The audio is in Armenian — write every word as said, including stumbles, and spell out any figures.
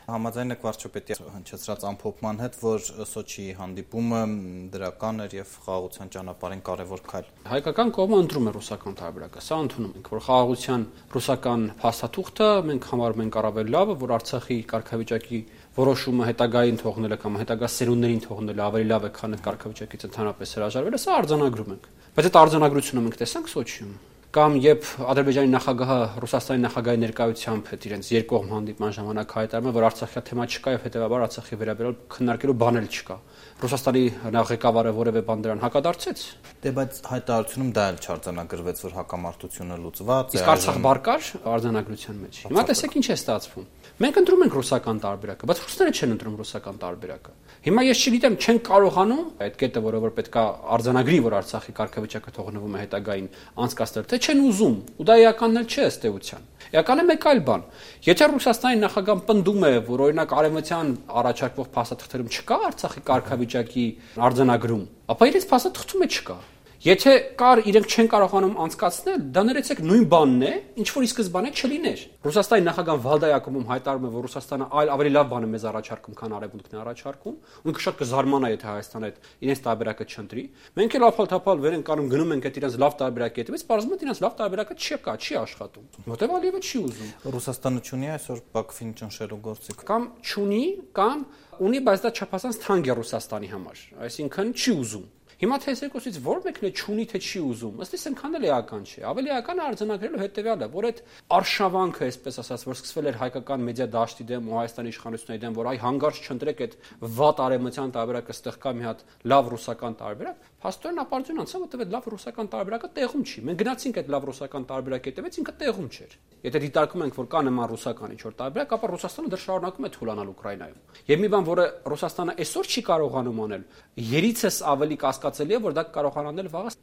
Համաձայն եք վարչապետի հնչեցրած ամփոփման հետ, որ Սոչիի հանդիպումը դրական էր եւ խաղաղության ճանապարհին կարեւոր քայլ։ Հայկական կողմը ընտրում է ռուսական տարբերակը, սա ընդունում ենք, որ խաղաղության ռուսական փաստաթուղթը մենք համարում ենք առավել լավը, որ Արցախի կարգավիճակի որոշումը հետագային թողնելը կամ հետագա սերունդներին թողնելը ավելի լավ է, քան այդ կարգավիճակից ընդհանրապես հրաժարվելը, սա արձանագրում ենք։ Բայց այդ արձանագրությունը մենք տեսանք Սոչիում։ Կամ երբ Ադրբեջանի նախագահը Ռուսաստանի նախագահի ներկայությամբ հետ իրենց երկկողմ հանդիպման ժամանակ հայտարարում է, որ Արցախի թեմա չկա եւ հետեւաբար Արցախի վերաբերյալ քննարկելու բան էլ չկա։ Ռուսաստանի ղեկավարը որևէ բան դրան հակադարձեց։ Դե բայց հայտարարությունում դա էլ չարձանագրվեց, որ հակամարտությունը լուծված է։ Իսկ Արցախ բարկար արձանագրության մեջ։ Հիմա տեսեք ինչ է ստացվում։ Մենք ընտրում ենք ռուսական տարբերակը, բայց ռուսները չեն ընտրում ռուսական տարբերակը։ Հիմա ես չգիտեմ, չեն կարողանում այդ կետը, որը որ պետքա արձանագրի, որ Արցախի կարգավիճակը թողնվում է հետագային անցկացնել, թե չեն ուզում, ու դա էականն էլ չէ ըստ էության։ Էականը մեկ այլ բան։ Եթե Ռուսաստանի նախագահան պնդում է, որ օրինակ արևմտյան առաջարկվող փաստաթղթերում չկա Արցախի կարգավիճակի արձանագրում, ապա իրենց փաստաթղթում է չկա։ Եթե կար իրենք չեն կարողանում անցկացնել, դա ներեցեք նույն բանն է, ինչ որ ի սկզբանե չլիներ։ Ռուսաստանի նախագահան Վալդայակոմում հայտարարում է, որ Ռուսաստանը այլ ավելի լավ բան է մեզ առաջարկում, քան Արևմուտքն է առաջարկում, ու ինքը շատ կզարմանա, եթե Հայաստանը այդ իրենց տարբերակը չընտրի։ Մենք էլ ափալ-թափալ վեր ենք անում, գնում ենք այդ իրենց լավ տարբերակի հետևից, պարզվում է իրենց լավ տարբերակը չկա, չի աշխատում։ Որտեւ Ալիևը չի ուզում։ Ռուսաստանը չունի այսօր Բաքվին ճնշելու գործիք։ Կամ չունի, կամ ունի, բայց դա չափազանց թանկ է Ռուսաստանի համար, այսինքն չի ուզում։ Հիմա թե երկուսից որ մեկն է չունի թե չի ուզում, ըստ իս այնքան էլ էական չէ։ Ավելի էական է արձանագրելու հետևյալը, որ այդ արշավանքը, այսպես ասած, որ սկսվել էր հայկական մեդիա դաշտի դեմ ու Հայաստանի իշխանությունների դեմ, որ այ հանգարց չընտրեք այդ վատ արևմտյան տարբերակը, ստեղ կա մի հատ լավ ռուսական տարբերակ, փաստորեն ապարդյուն անցավ, որտեղ այդ լավ ռուսական տարբերակը տեղում չի։ Մենք գնացինք այդ լավ ռուսական տարբերակի հետևից, ինքը տեղում չէր։ Եթե դիտարկում ենք, որ կա նման ռուսական ինչ-որ տարբերակ, ապա Ռուսաստանը դեռ շարունակում է թուլանալ Ուկրաինայում։ Եվ մի բան, որը Ռուսաստանը այսօր չի կարողանում անել, երիցս ավելի կասկածելի է, որ դա կարողանանել վաղը։